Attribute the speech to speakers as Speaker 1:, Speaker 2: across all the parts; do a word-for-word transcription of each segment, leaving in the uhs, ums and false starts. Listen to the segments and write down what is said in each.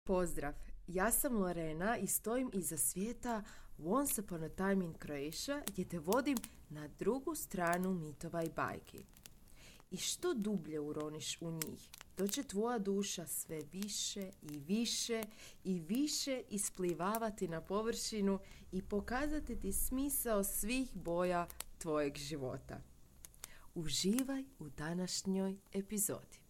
Speaker 1: Pozdrav, ja sam Lorena i stojim iza svijeta Once Upon a Time in Croatia gdje te vodim na drugu stranu mitova i bajki. I što dublje uroniš u njih, to će tvoja duša sve više i više i više isplivavati na površinu i pokazati ti smisao svih boja tvojeg života. Uživaj u današnjoj epizodi.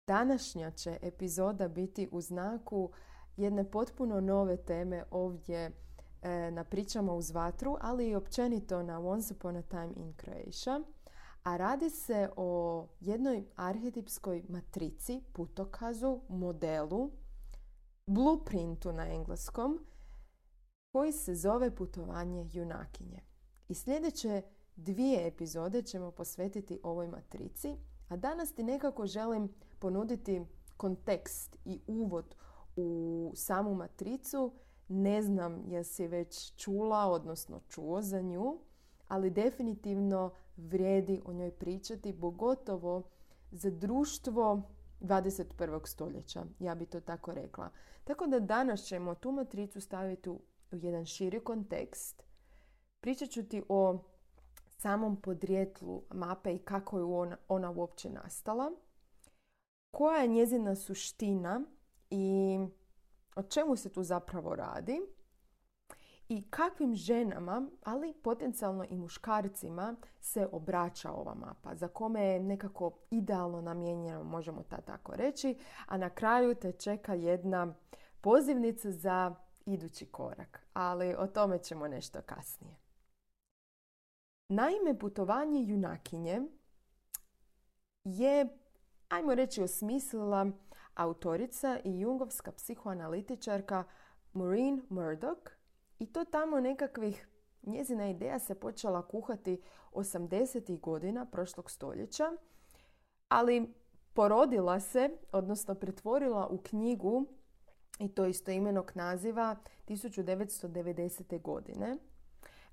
Speaker 1: Današnja će epizoda biti u znaku jedne potpuno nove teme ovdje e, na Pričama uz vatru, ali i općenito na Once Upon a Time in Croatia. A radi se o jednoj arhetipskoj matrici, putokazu, modelu, blueprintu na engleskom, koji se zove putovanje junakinje. I sljedeće dvije epizode ćemo posvetiti ovoj matrici, a danas ti nekako želim ponuditi kontekst i uvod u samu matricu. Ne znam jesi već čula, odnosno čuo za nju, ali definitivno vrijedi o njoj pričati, pogotovo za društvo dvadeset prvog stoljeća, ja bi to tako rekla. Tako da danas ćemo tu matricu staviti u jedan širi kontekst. Pričat ću ti o samom podrijetlu mape i kako je ona, ona uopće nastala, koja je njezina suština i o čemu se tu zapravo radi i kakvim ženama, ali potencijalno i muškarcima, se obraća ova mapa, za kome je nekako idealno namijenjena, možemo ta tako reći, a na kraju te čeka jedna pozivnica za idući korak, ali o tome ćemo nešto kasnije. Naime, putovanje junakinje je, ajmo reći, osmislila autorica i jungovska psihoanalitičarka Maureen Murdoch, i to tamo nekakvih, njezina ideja se počela kuhati osamdesetih godina prošlog stoljeća, ali porodila se, odnosno pretvorila u knjigu, i to istoimenog naziva, tisuću devetsto devedesete. godine.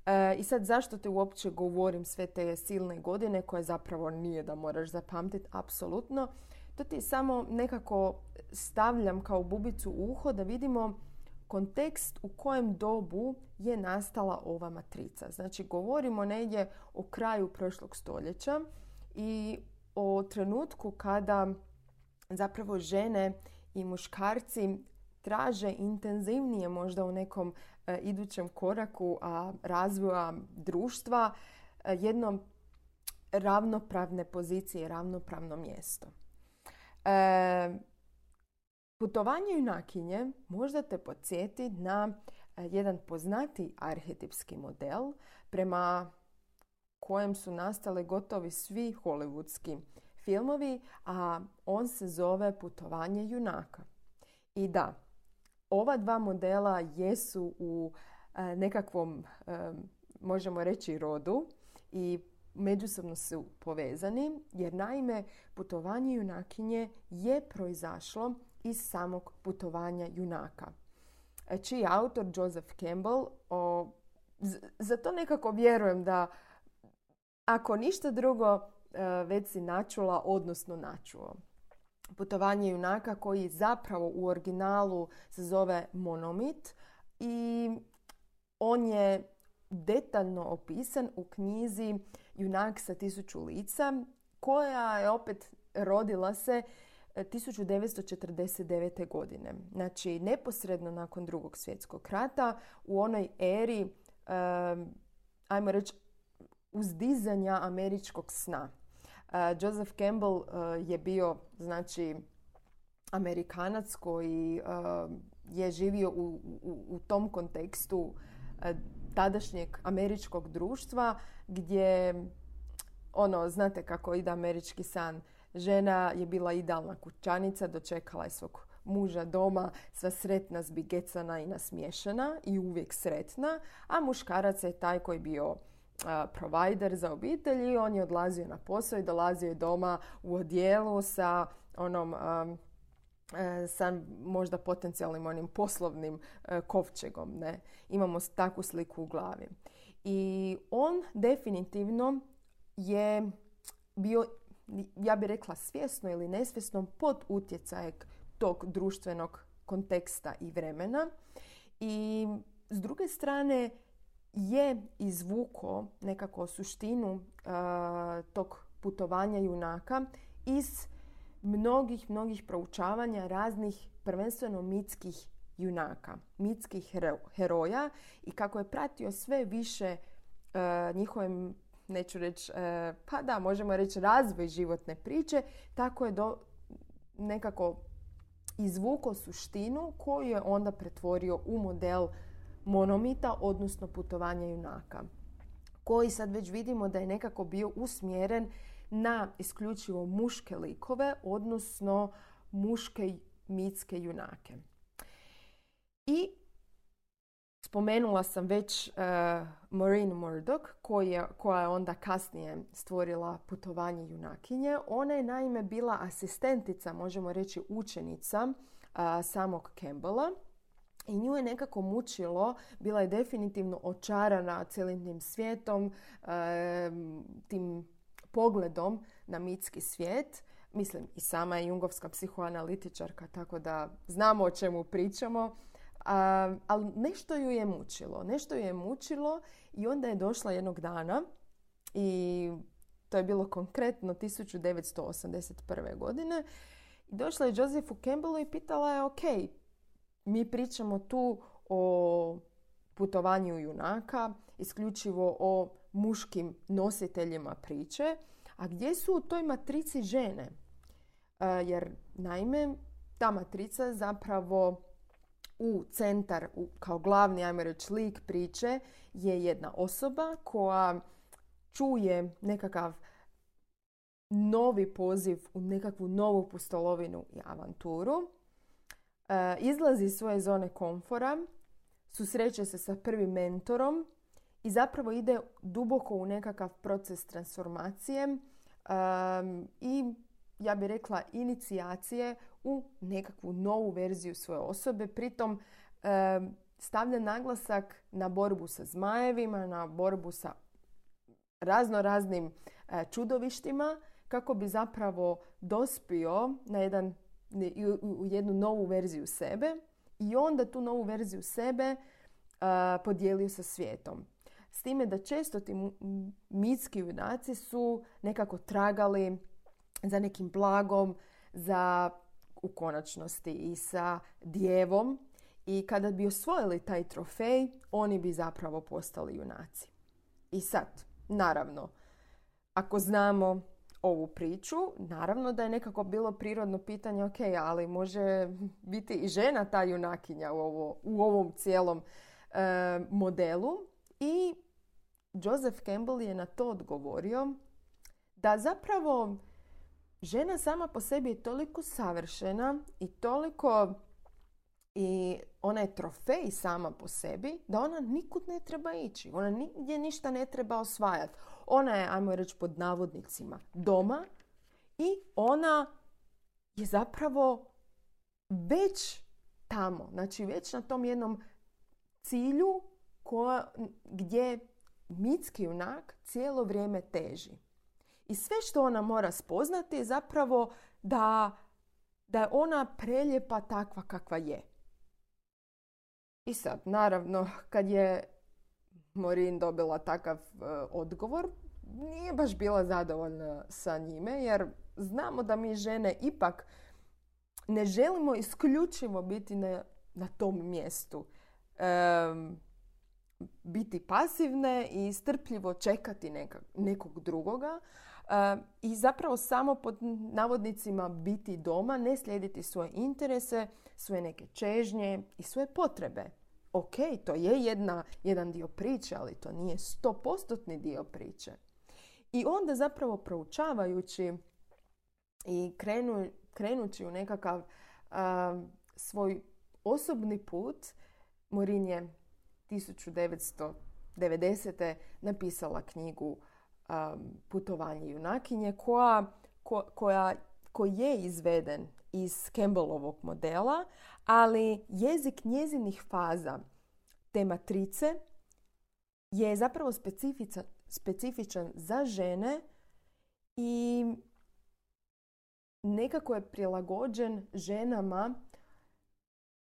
Speaker 1: E, I sad zašto te uopće govorim sve te silne godine koje zapravo nije da moraš zapamtiti, apsolutno. To ti samo nekako stavljam kao bubicu u uho da vidimo kontekst u kojem dobu je nastala ova matrica. Znači, govorimo negdje o kraju prošlog stoljeća i o trenutku kada zapravo žene i muškarci traže intenzivnije, možda u nekom e, idućem koraku a, razvoja društva, e, jedno ravnopravne pozicije, ravnopravno mjesto. E, putovanje junakinje možda te podsjeti na e, jedan poznati arhetipski model prema kojem su nastale gotovi svi hollywoodski filmovi, a on se zove Putovanje junaka. I da, ova dva modela jesu u e, nekakvom, e, možemo reći, rodu i međusobno su povezani, jer naime putovanje junakinje je proizašlo iz samog putovanja junaka, čiji je autor Joseph Campbell. O, z- za to nekako vjerujem da, ako ništa drugo, e, već si načula, odnosno načuo. Putovanje junaka, koji zapravo u originalu se zove Monomit, i on je detaljno opisan u knjizi Junak sa tisuću lica, koja je opet rodila se tisuću devetsto četrdeset devete. godine. Znači, neposredno nakon Drugog svjetskog rata, u onoj eri, um, ajmo reći, uzdizanja američkog sna. Uh, Joseph Campbell uh, je bio, znači, Amerikanac koji uh, je živio u, u, u tom kontekstu uh, tadašnjeg američkog društva, gdje, ono, znate kako ide američki san. Žena je bila idealna kućanica, dočekala je svog muža doma, sva sretna, zbigecana i nasmiješana i uvijek sretna, a muškarac je taj koji je bio provider za obitelj i on je odlazio na posao i dolazio je doma u odijelu sa onom um, sa možda potencijalnim onim poslovnim uh, kovčegom. Ne? Imamo takvu sliku u glavi. I on definitivno je bio ja bih rekla svjesno ili nesvjesno, pod utjecajem tog društvenog konteksta i vremena. I s druge strane je izvuko nekako suštinu uh, tog putovanja junaka iz mnogih, mnogih proučavanja raznih prvenstveno mitskih junaka, mitskih hero, heroja i kako je pratio sve više uh, njihovim, neću reći, uh, pa da, možemo reći razvoj životne priče, tako je do, nekako izvuko suštinu koju je onda pretvorio u model monomita, odnosno putovanja junaka, koji sad već vidimo da je nekako bio usmjeren na isključivo muške likove, odnosno muške mitske junake. I spomenula sam već uh, Maureen Murdoch, koji je, koja je onda kasnije stvorila putovanje junakinje. Ona je naime bila asistentica, možemo reći učenica uh, samog Campbella. I nju je nekako mučilo, bila je definitivno očarana cijelim tim svijetom, e, tim pogledom na mitski svijet. Mislim, i sama je jungovska psihoanalitičarka, tako da znamo o čemu pričamo. A, ali nešto ju je mučilo. Nešto ju je mučilo i onda je došla jednog dana i to je bilo konkretno tisuću devetsto osamdeset prve. godine. I došla je Josephu Campbellu i pitala je, ok, mi pričamo tu o putovanju junaka, isključivo o muškim nositeljima priče, a gdje su u toj matrici žene? E, jer naime, ta matrica zapravo u centar, u, kao glavni, ajmo reći, lik priče je jedna osoba koja čuje nekakav novi poziv u nekakvu novu pustolovinu i avanturu. Izlazi iz svoje zone komfora, susreće se sa prvim mentorom i zapravo ide duboko u nekakav proces transformacije um, i ja bih rekla inicijacije u nekakvu novu verziju svoje osobe. Pritom um, stavlja naglasak na borbu sa zmajevima, na borbu sa razno raznim uh, čudovištima kako bi zapravo dospio na jedan u jednu novu verziju sebe i onda tu novu verziju sebe uh, podijelio sa svijetom. S time da često ti mitski junaci su nekako tragali za nekim blagom, za u konačnosti i sa djevom i kada bi osvojili taj trofej, oni bi zapravo postali junaci. I sad, naravno, ako znamo ovu priču, naravno da je nekako bilo prirodno pitanje, ok, ali može biti i žena ta junakinja u, ovo, u ovom cijelom e, modelu. I Joseph Campbell je na to odgovorio da zapravo žena sama po sebi je toliko savršena i toliko i ona je trofej sama po sebi da ona nikud ne treba ići. Ona nigdje ništa ne treba osvajati. Ona je, ajmo reći pod navodnicima, doma i ona je zapravo već tamo. Znači već na tom jednom cilju koja, gdje mitski junak cijelo vrijeme teži. I sve što ona mora spoznati je zapravo da, da je ona prelijepa takva kakva je. I sad, naravno, kad je Maureen dobila takav uh, odgovor, nije baš bila zadovoljna sa njime, jer znamo da mi žene ipak ne želimo isključivo biti na, na tom mjestu. Um, biti pasivne i strpljivo čekati neka, nekog drugoga uh, i zapravo samo pod navodnicima biti doma, ne slijediti svoje interese, svoje neke čežnje i svoje potrebe. Ok, to je jedna, jedan dio priče, ali to nije stopostotni dio priče. I onda zapravo proučavajući i krenu, krenući u nekakav uh, svoj osobni put, Maureen je tisuću devetsto devedesete. napisala knjigu um, Putovanje junakinje koja, ko, koja, koji je izveden iz Campbellovog modela, ali jezik njezinih faza te matrice je zapravo specifičan, specifičan za žene i nekako je prilagođen ženama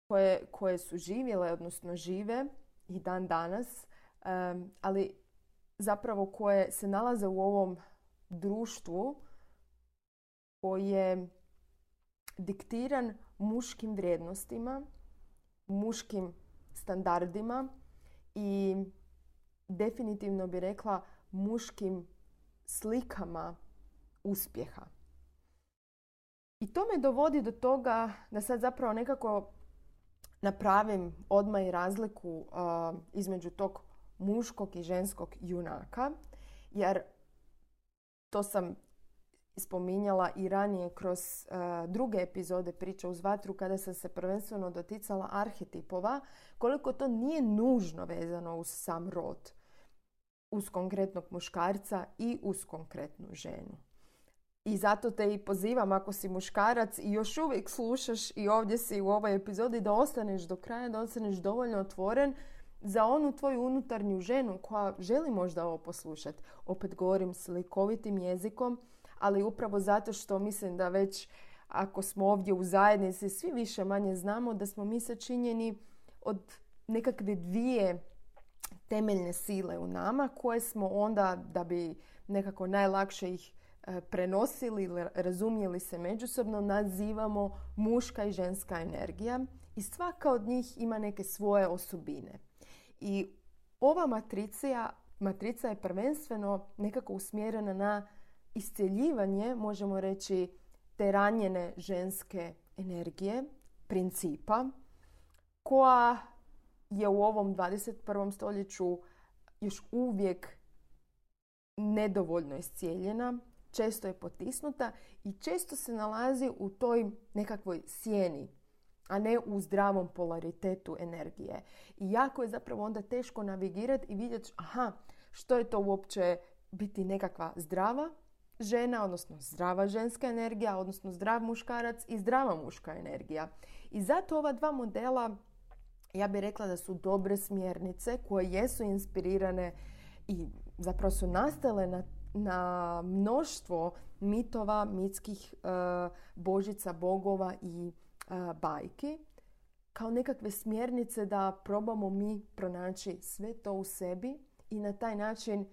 Speaker 1: koje, koje su živjele, odnosno žive i dan danas, um, ali zapravo koje se nalaze u ovom društvu koji je diktiran muškim vrijednostima, muškim standardima i definitivno bi rekla muškim slikama uspjeha. I to me dovodi do toga da sad zapravo nekako napravim odmah i razliku uh, između tog muškog i ženskog junaka, jer to sam spominjala i ranije kroz uh, druge epizode Priče uz vatru kada sam se prvenstveno doticala arhetipova, koliko to nije nužno vezano uz sam rod, uz konkretnog muškarca i uz konkretnu ženu. I zato te i pozivam, ako si muškarac i još uvijek slušaš i ovdje si u ovoj epizodi, da ostaneš do kraja, da ostaneš dovoljno otvoren za onu tvoju unutarnju ženu koja želi možda ovo poslušati. Opet govorim slikovitim jezikom, ali upravo zato što mislim da već ako smo ovdje u zajednici svi više manje znamo da smo mi sačinjeni od nekakve dvije temeljne sile u nama koje smo onda, da bi nekako najlakše ih prenosili ili razumjeli se međusobno, nazivamo muška i ženska energija i svaka od njih ima neke svoje osobine. I ova matrica, matrica je prvenstveno nekako usmjerena na iscjeljivanje, možemo reći, te ranjene ženske energije, principa, koja je u ovom dvadeset prvom stoljeću još uvijek nedovoljno iscijeljena, često je potisnuta i često se nalazi u toj nekakvoj sjeni, a ne u zdravom polaritetu energije. I jako je zapravo onda teško navigirati i vidjeti, aha, što je to uopće biti nekakva zdrava žena, odnosno zdrava ženska energija, odnosno zdrav muškarac i zdrava muška energija. I zato ova dva modela, ja bih rekla da su dobre smjernice koje jesu inspirirane i zapravo su nastale na na mnoštvo mitova, mitskih uh, božica, bogova i uh, bajki, kao nekakve smjernice da probamo mi pronaći sve to u sebi i na taj način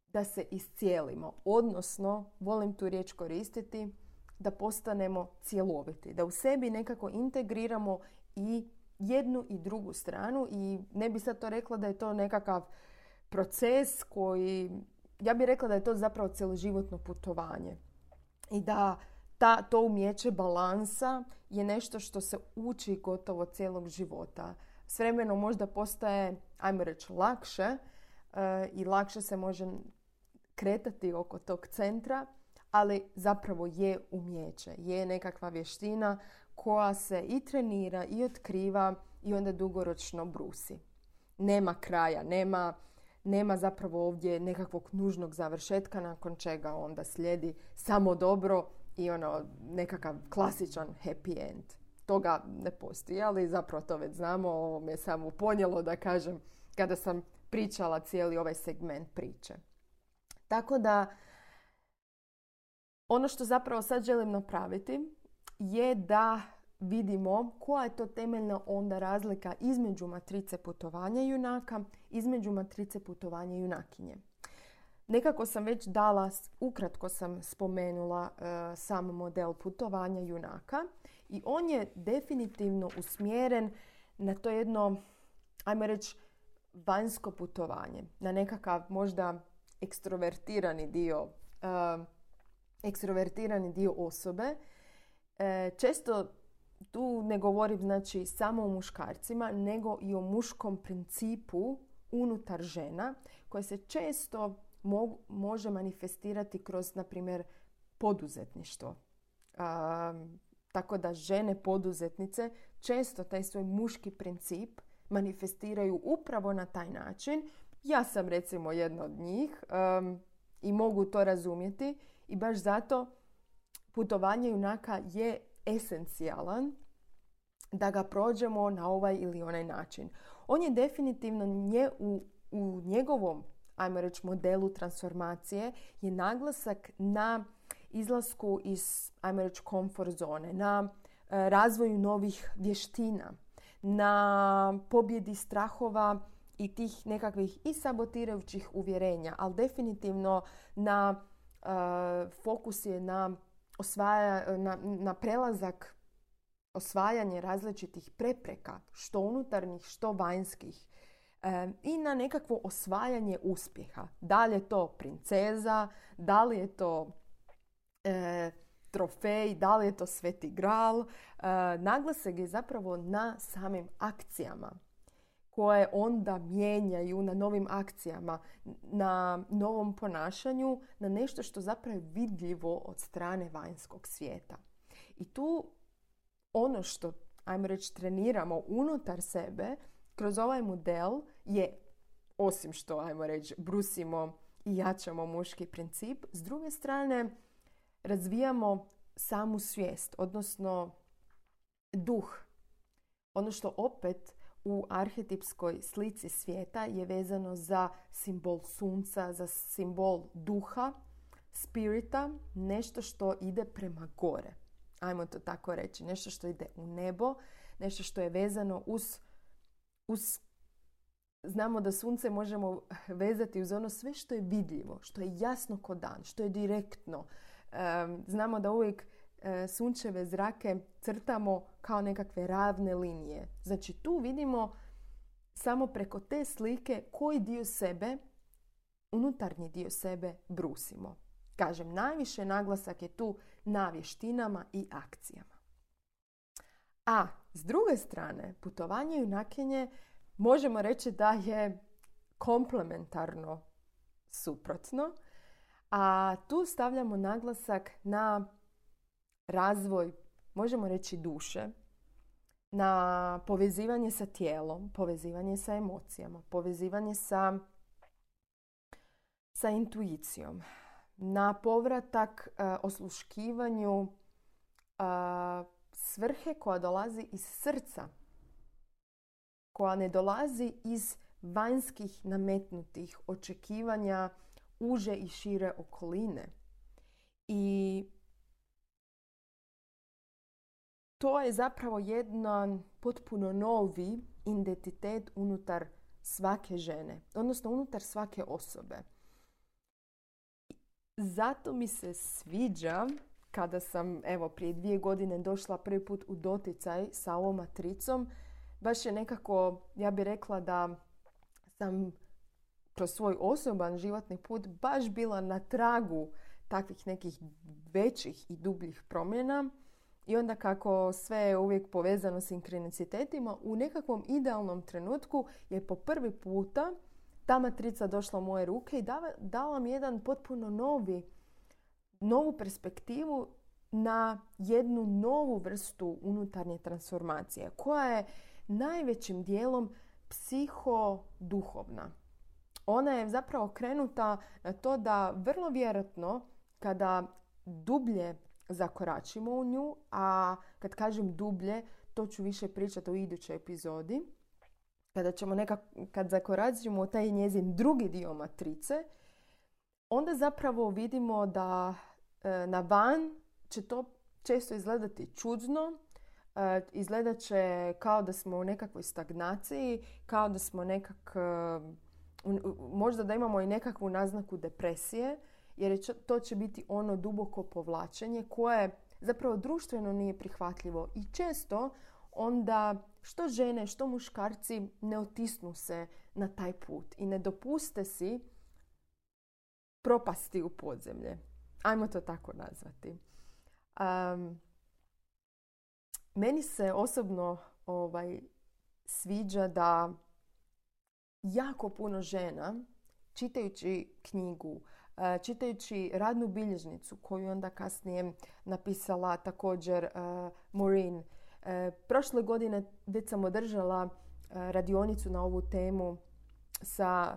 Speaker 1: da se iscijelimo. Odnosno, volim tu riječ koristiti, da postanemo cjeloviti, da u sebi nekako integriramo i jednu i drugu stranu. I ne bi sad to rekla da je to nekakav proces koji, ja bih rekla da je to zapravo cjeloživotno putovanje. I da ta, to umjeće balansa je nešto što se uči gotovo cijelog života. S vremenom možda postaje, ajmo reći, lakše uh, i lakše se može kretati oko tog centra, ali zapravo je umjeće, je nekakva vještina koja se i trenira i otkriva i onda dugoročno brusi. Nema kraja, nema, nema zapravo ovdje nekakvog nužnog završetka nakon čega onda slijedi samo dobro i ono nekakav klasičan happy end. Toga ne postoji, ali zapravo to već znamo, ovo me je samo ponijelo da kažem kada sam pričala cijeli ovaj segment priče. Tako da ono što zapravo sad želim napraviti je da vidimo koja je to temeljna onda razlika između matrice putovanja junaka, između matrice putovanja junakinje. Nekako sam već dala, ukratko sam spomenula uh, sam model putovanja junaka i on je definitivno usmjeren na to jedno, ajmo reći, vanjsko putovanje, na nekakav možda ekstrovertirani dio, uh, ekstrovertirani dio osobe. E, često tu ne govorim znači samo o muškarcima, nego i o muškom principu unutar žena koje se često mo- može manifestirati kroz, na primjer, poduzetništvo. A, tako da žene poduzetnice često taj svoj muški princip manifestiraju upravo na taj način. Ja sam recimo jedna od njih um, i mogu to razumjeti i baš zato putovanje junaka je esencijalan da ga prođemo na ovaj ili onaj način. On je definitivno nje, u, u njegovom, ajmo reći, modelu transformacije je naglasak na izlasku iz, ajmo reći, komfort zone, na e, razvoju novih vještina, na pobjedi strahova i tih nekakvih i sabotirajućih uvjerenja, ali definitivno na uh, fokus je na, osvaja, na, na prelazak, osvajanje različitih prepreka, što unutarnjih, što vanjskih, e, i na nekakvo osvajanje uspjeha. Da li je to princeza, da li je to e, trofej, da li je to sveti gral. E, naglasak je zapravo na samim akcijama koje onda mijenjaju, na novim akcijama, na novom ponašanju, na nešto što zapravo je vidljivo od strane vanjskog svijeta. I tu ono što, ajmo reći, treniramo unutar sebe kroz ovaj model je, osim što, ajmo reći, brusimo i jačamo muški princip, s druge strane razvijamo samu svijest, odnosno duh. Ono što opet u arhetipskoj slici svijeta je vezano za simbol sunca, za simbol duha, spirita, nešto što ide prema gore. Ajmo to tako reći. Nešto što ide u nebo, nešto što je vezano uz, uz... Znamo da sunce možemo vezati uz ono sve što je vidljivo, što je jasno ko dan, što je direktno. Um, znamo da uvijek uh, sunčeve zrake crtamo kao nekakve ravne linije. Znači tu vidimo samo preko te slike koji dio sebe, unutarnji dio sebe brusimo. Kažem, najviše naglasak je tu na vještinama i akcijama. A s druge strane, putovanje i junakinje možemo reći da je komplementarno suprotno, a tu stavljamo naglasak na razvoj, možemo reći, duše, na povezivanje sa tijelom, povezivanje sa emocijama, povezivanje sa, sa intuicijom, na povratak uh, osluškivanju uh, svrhe koja dolazi iz srca, koja ne dolazi iz vanjskih nametnutih očekivanja uže i šire okoline. I to je zapravo jedan potpuno novi identitet unutar svake žene, odnosno unutar svake osobe. Zato mi se sviđa kada sam, evo, prije dvije godine došla prvi put u doticaj sa ovom matricom. Baš je nekako, ja bih rekla da sam kroz svoj osoban životni put baš bila na tragu takvih nekih većih i dubljih promjena. I onda kako sve je uvijek povezano s sinkronicitetima, u nekakvom idealnom trenutku je po prvi puta ta matrica došla u moje ruke i dala, dala mi jedan potpuno novi, novu perspektivu na jednu novu vrstu unutarnje transformacije koja je najvećim dijelom psihoduhovna. Ona je zapravo krenuta na to da vrlo vjerojatno kada dublje zakoračimo u nju, a kad kažem dublje, to ću više pričati u idućoj epizodi, kada ćemo nekak, kad zakoračimo u taj njezin drugi dio matrice, onda zapravo vidimo da e, na van će to često izgledati čudno, e, izgledat će kao da smo u nekakvoj stagnaciji, kao da smo nekak, e, možda da imamo i nekakvu naznaku depresije, jer je, to će biti ono duboko povlačenje koje zapravo društveno nije prihvatljivo i često onda što žene, što muškarci ne otisnu se na taj put i ne dopuste si propasti u podzemlje. Ajmo to tako nazvati. Um, meni se osobno ovaj, sviđa da jako puno žena, čitajući knjigu, čitajući radnu bilježnicu koju onda kasnije napisala također uh, Maureen. Uh, prošle godine već sam održala uh, radionicu na ovu temu sa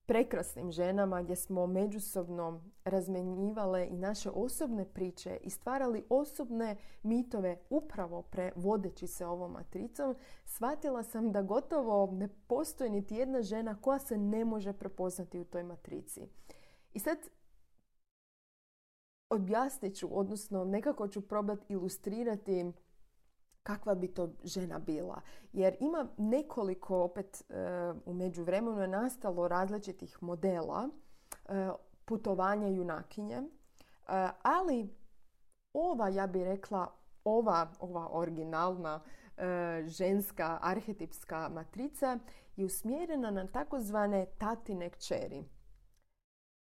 Speaker 1: prekrasnim ženama gdje smo međusobno razmjenjivale i naše osobne priče i stvarali osobne mitove upravo prevodeći se ovom matricom. Shvatila sam da gotovo ne postoji niti jedna žena koja se ne može prepoznati u toj matrici. I sad objasnit ću, odnosno nekako ću probati ilustrirati kakva bi to žena bila. Jer ima nekoliko, opet u međuvremenu je nastalo različitih modela putovanja junakinje, ali ova, ja bih rekla, ova, ova originalna ženska arhetipska matrica je usmjerena na takozvane tatine kćeri.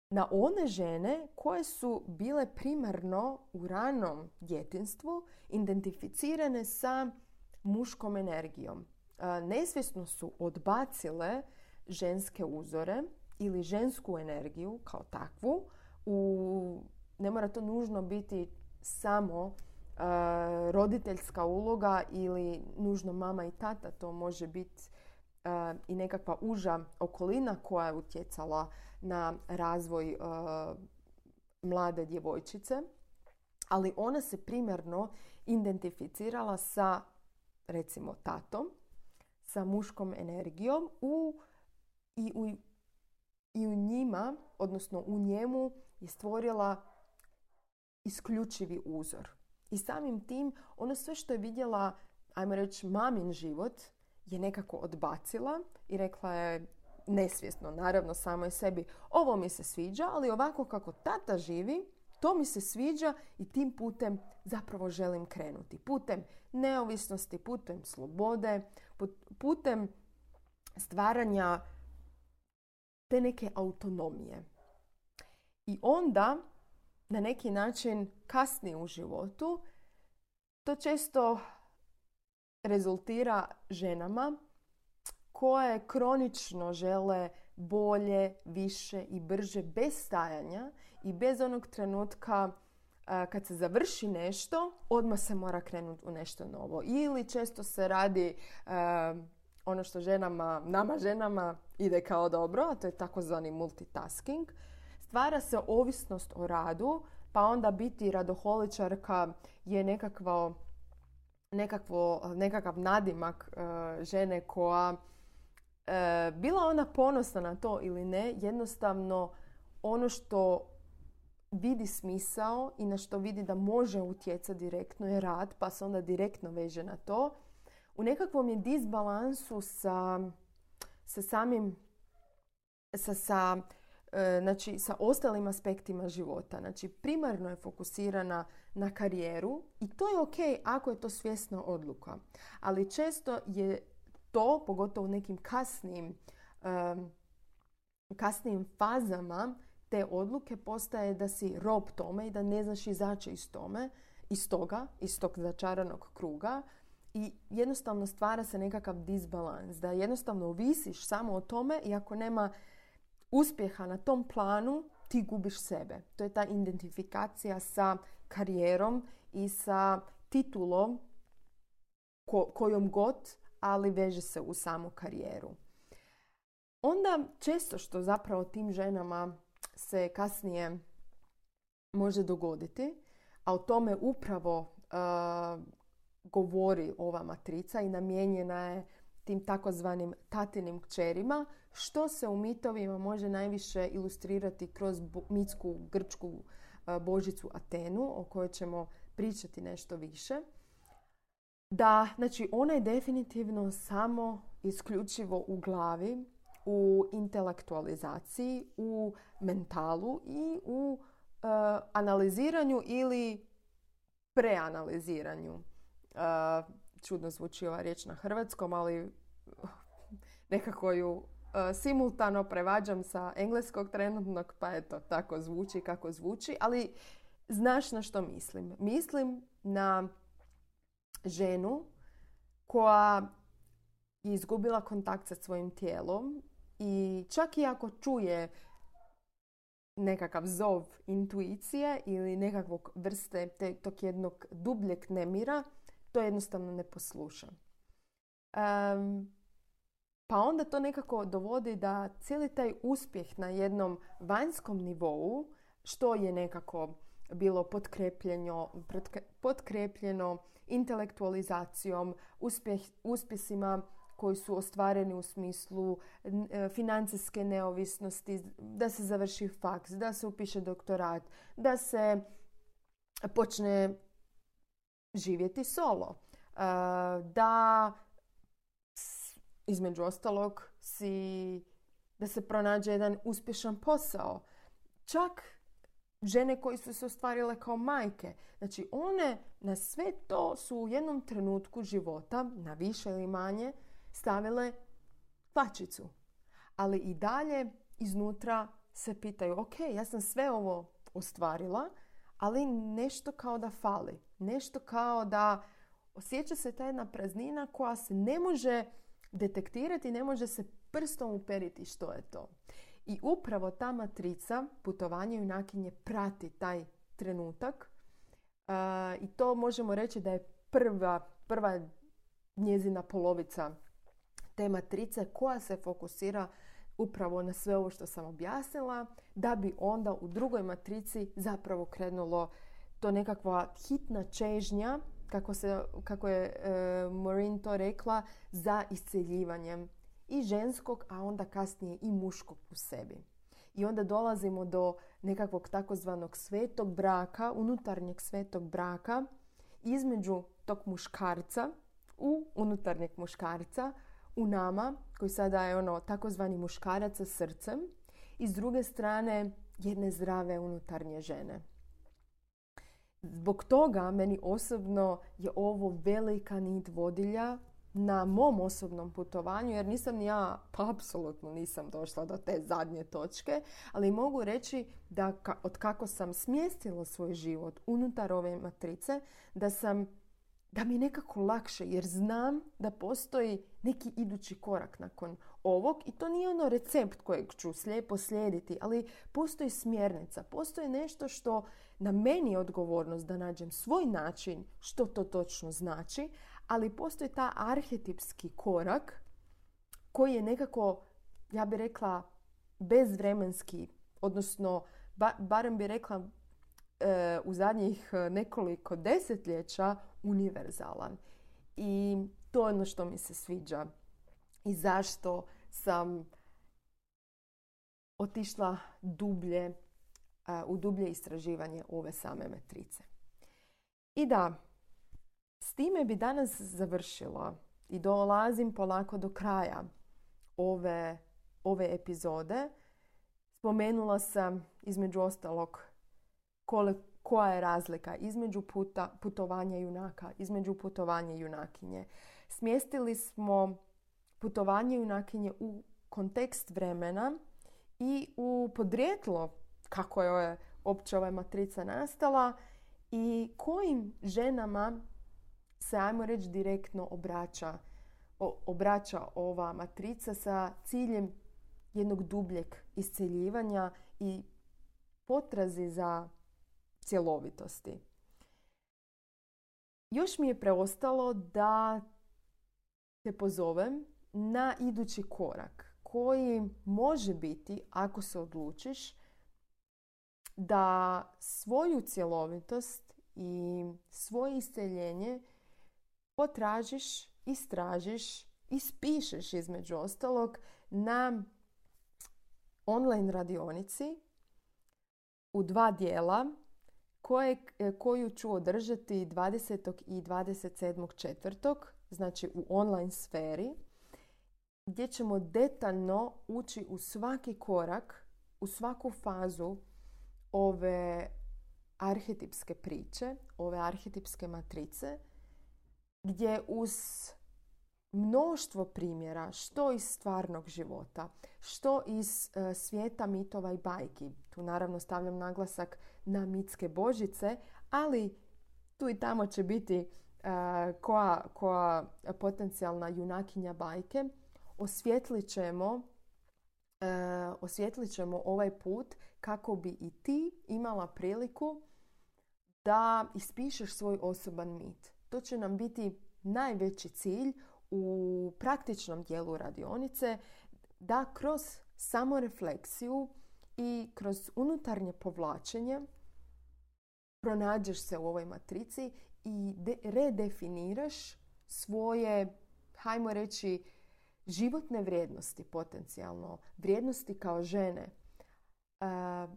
Speaker 1: Na one žene koje su bile primarno u ranom djetinjstvu identificirane sa muškom energijom. Nesvjesno su odbacile ženske uzore ili žensku energiju kao takvu. U, ne mora to nužno biti samo uh, roditeljska uloga ili nužno mama i tata. To može biti uh, i nekakva uža okolina koja je utjecala na razvoj uh, mlade djevojčice. Ali ona se primarno identificirala sa, recimo, tatom, sa muškom energijom u, i, u, i u njima, odnosno u njemu je stvorila isključivi uzor. I samim tim ono sve što je vidjela, ajmo reći, mamin život je nekako odbacila i rekla je nesvjesno, naravno, samo je sebi, ovo mi se sviđa, ali ovako kako tata živi, to mi se sviđa i tim putem zapravo želim krenuti. Putem neovisnosti, putem slobode, putem stvaranja te neke autonomije. I onda, na neki način, kasnije u životu, to često rezultira ženama koje kronično žele bolje, više i brže bez stajanja i bez onog trenutka kad se završi nešto, odmah se mora krenuti u nešto novo. Ili često se radi ono što ženama, nama ženama ide kao dobro, a to je takozvani multitasking. Stvara se ovisnost o radu, pa onda biti radoholičarka je nekakvo, nekakvo, nekakav nadimak uh, žene koja, uh, bila ona ponosna na to ili ne, jednostavno ono što vidi smisao i na što vidi da može utjecati direktno je rad, pa se onda direktno veže na to. U nekakvom je disbalansu sa, sa samim, sa, sa znači sa ostalim aspektima života. Znači primarno je fokusirana na karijeru i to je ok ako je to svjesna odluka. Ali često je to, pogotovo u nekim kasnim, um, kasnim fazama te odluke, postaje da si rob tome i da ne znaš izaći iz tome, iz toga, iz tog začaranog kruga i jednostavno stvara se nekakav disbalans. Da jednostavno ovisiš samo o tome i ako nema uspjeha na tom planu, ti gubiš sebe. To je ta identifikacija sa karijerom i sa titulom ko- kojom god, ali veže se u samu karijeru. Onda često što zapravo tim ženama se kasnije može dogoditi, a o tome upravo uh, govori ova matrica i namijenjena je tim takozvanim tatinim kćerima, što se u mitovima može najviše ilustrirati kroz mitsku grčku božicu Atenu, o kojoj ćemo pričati nešto više. Da, znači, ona je definitivno samo isključivo u glavi, u intelektualizaciji, u mentalu i u uh, analiziranju ili preanaliziranju. Uh, čudno zvuči ova riječ na hrvatskom, ali nekako ju uh, simultano prevađam sa engleskog trenutnog, pa eto, tako zvuči kako zvuči. Ali znaš na što mislim? Mislim na ženu koja je izgubila kontakt sa svojim tijelom i čak i ako čuje nekakav zov intuicije ili nekakvog vrste te, tog jednog dubljeg nemira, to jednostavno ne posluša. Um, pa onda to nekako dovodi da cijeli taj uspjeh na jednom vanjskom nivou, što je nekako bilo potkrepljeno, potkrepljeno intelektualizacijom, uspjeh, uspjesima koji su ostvareni u smislu financijske neovisnosti, da se završi faks, da se upiše doktorat, da se počne živjeti solo. Da između ostalog si, da se pronađe jedan uspješan posao. Čak žene koje su se ostvarile kao majke. Znači one na sve to su u jednom trenutku života, na više ili manje, stavile kvačicu. Ali i dalje iznutra se pitaju, ok, ja sam sve ovo ostvarila, ali nešto kao da fali. Nešto kao da osjeća se ta jedna praznina koja se ne može detektirati, ne može se prstom uperiti što je to. I upravo ta matrica, putovanje junakinje, prati taj trenutak. Uh, I to možemo reći da je prva, prva njezina polovica te matrice koja se fokusira upravo na sve ovo što sam objasnila, da bi onda u drugoj matrici zapravo krenulo to nekakva hitna čežnja, kako, se, kako je e, Maureen to rekla, za isceljivanjem i ženskog, a onda kasnije i muškog u sebi. I onda dolazimo do nekakvog takozvanog svetog braka, unutarnjeg svetog braka, između tog muškarca, u unutarnjeg muškarca, u nama, koji sada je ono takozvani muškarac sa srcem, i s druge strane jedne zdrave unutarnje žene. Zbog toga meni osobno je ovo velika nit vodilja na mom osobnom putovanju, jer nisam ni ja, pa apsolutno nisam došla do te zadnje točke, ali mogu reći da ka, od kako sam smjestila svoj život unutar ove matrice, da sam da mi je nekako lakše, jer znam da postoji neki idući korak nakon ovog i to nije ono recept kojeg ću slijepo slijediti, ali postoji smjernica, postoji nešto što na meni je odgovornost da nađem svoj način što to točno znači, ali postoji ta arhetipski korak koji je nekako, ja bih rekla, bezvremenski, odnosno ba, barem bih rekla e, u zadnjih nekoliko desetljeća univerzalan. I to je ono što mi se sviđa i zašto sam otišla dublje, uh, u dublje istraživanje ove same matrice. I da, s time bi danas završila i dolazim polako do kraja ove, ove epizode. Spomenula sam između ostalog koliko koja je razlika između puta, putovanja junaka, između putovanja junakinje. Smjestili smo putovanje junakinje u kontekst vremena i u podrijetlo kako je opće ova matrica nastala i kojim ženama se, ajmo reći, direktno obraća, o, obraća ova matrica sa ciljem jednog dubljeg isceljivanja i potrazi za cjelovitosti. Još mi je preostalo da te pozovem na idući korak koji može biti, ako se odlučiš, da svoju cjelovitost i svoje isceljenje potražiš, istražiš, ispišeš između ostalog na online radionici u dva dijela koje, koju ću održati dvadesetog i dvadeset sedmog četvrtog znači u online sferi, gdje ćemo detaljno ući u svaki korak, u svaku fazu ove arhetipske priče, ove arhetipske matrice, gdje uz mnoštvo primjera, što iz stvarnog života, što iz uh, svijeta mitova i bajki. Tu naravno stavljam naglasak na mitske božice, ali tu i tamo će biti uh, koja, koja potencijalna junakinja bajke. Osvijetlit ćemo, uh, osvijetlit ćemo ovaj put kako bi i ti imala priliku da ispišeš svoj osoban mit. To će nam biti najveći cilj u praktičnom dijelu radionice, da kroz samorefleksiju i kroz unutarnje povlačenje pronađeš se u ovoj matrici i de- redefiniraš svoje, hajmo reći, životne vrijednosti potencijalno, vrijednosti kao žene. Uh,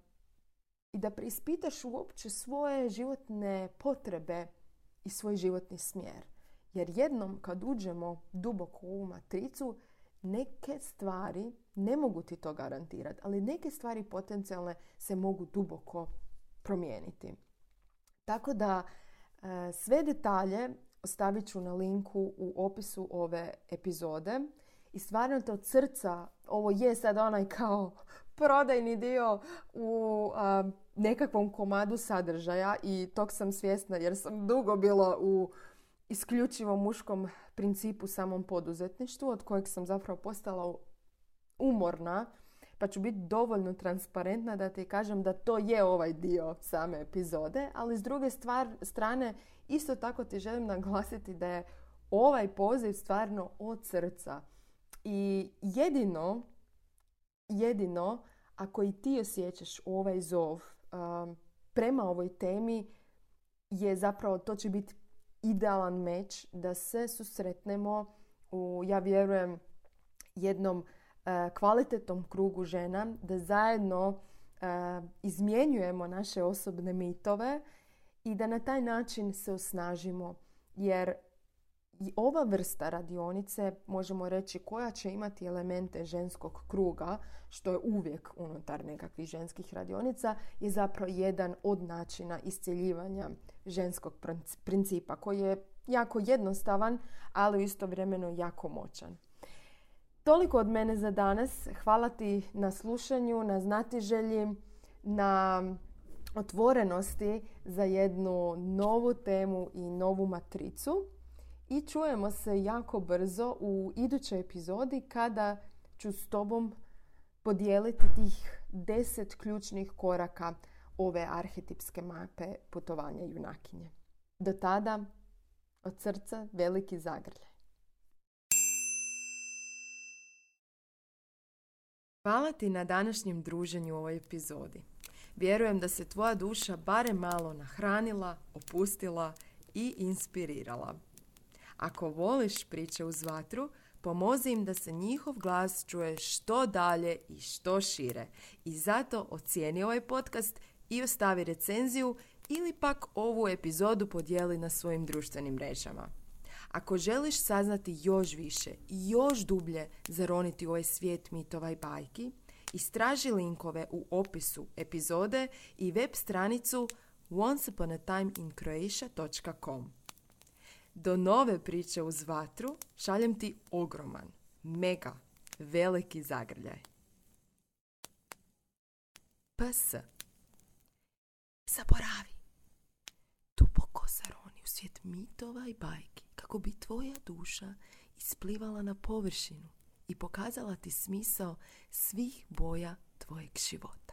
Speaker 1: i da preispitaš uopće svoje životne potrebe i svoj životni smjer. Jer jednom kad uđemo duboko u ovu matricu, neke stvari, ne mogu ti to garantirati, ali neke stvari potencijalne se mogu duboko promijeniti. Tako da sve detalje ostavit ću na linku u opisu ove epizode. I stvarno te od srca, ovo je sad onaj kao prodajni dio u a, nekakvom komadu sadržaja i tog sam svjesna jer sam dugo bila u isključivo muškom principu samom poduzetništvu od kojeg sam zapravo postala umorna, pa ću biti dovoljno transparentna da ti kažem da to je ovaj dio same epizode, ali s druge stvar, strane isto tako ti želim naglasiti da je ovaj poziv stvarno od srca. I jedino, jedino ako i ti osjećaš ovaj zov um, prema ovoj temi je zapravo to će biti idealan meč da se susretnemo u, ja vjerujem, jednom uh, kvalitetnom krugu žena, da zajedno uh, izmjenjujemo naše osobne mitove i da na taj način se osnažimo. Jer i ova vrsta radionice, možemo reći, koja će imati elemente ženskog kruga, što je uvijek unutar nekakvih ženskih radionica, je zapravo jedan od načina iscjeljivanja ženskog principa, koji je jako jednostavan, ali istovremeno jako moćan. Toliko od mene za danas. Hvala ti na slušanju, na znatiželji, na otvorenosti za jednu novu temu i novu matricu. I čujemo se jako brzo u idućoj epizodi kada ću s tobom podijeliti tih deset ključnih koraka ove arhetipske mape putovanja junakinje. Do tada, od srca veliki zagrljaj. Hvala ti na današnjem druženju u ovoj epizodi. Vjerujem da se tvoja duša barem malo nahranila, opustila i inspirirala. Ako voliš priče uz vatru, pomozi im da se njihov glas čuje što dalje i što šire. I zato ocijeni ovaj podcast i ostavi recenziju ili pak ovu epizodu podijeli na svojim društvenim mrežama. Ako želiš saznati još više i još dublje zaroniti u ovaj svijet mitova i bajki, istraži linkove u opisu epizode i web stranicu once upon a time in croatia dot com. Do nove priče uz vatru šaljem ti ogroman, mega, veliki zagrljaj. P S. Zaboravi. Duboko zaroni u svijet mitova i bajki kako bi tvoja duša isplivala na površinu i pokazala ti smisao svih boja tvojeg života.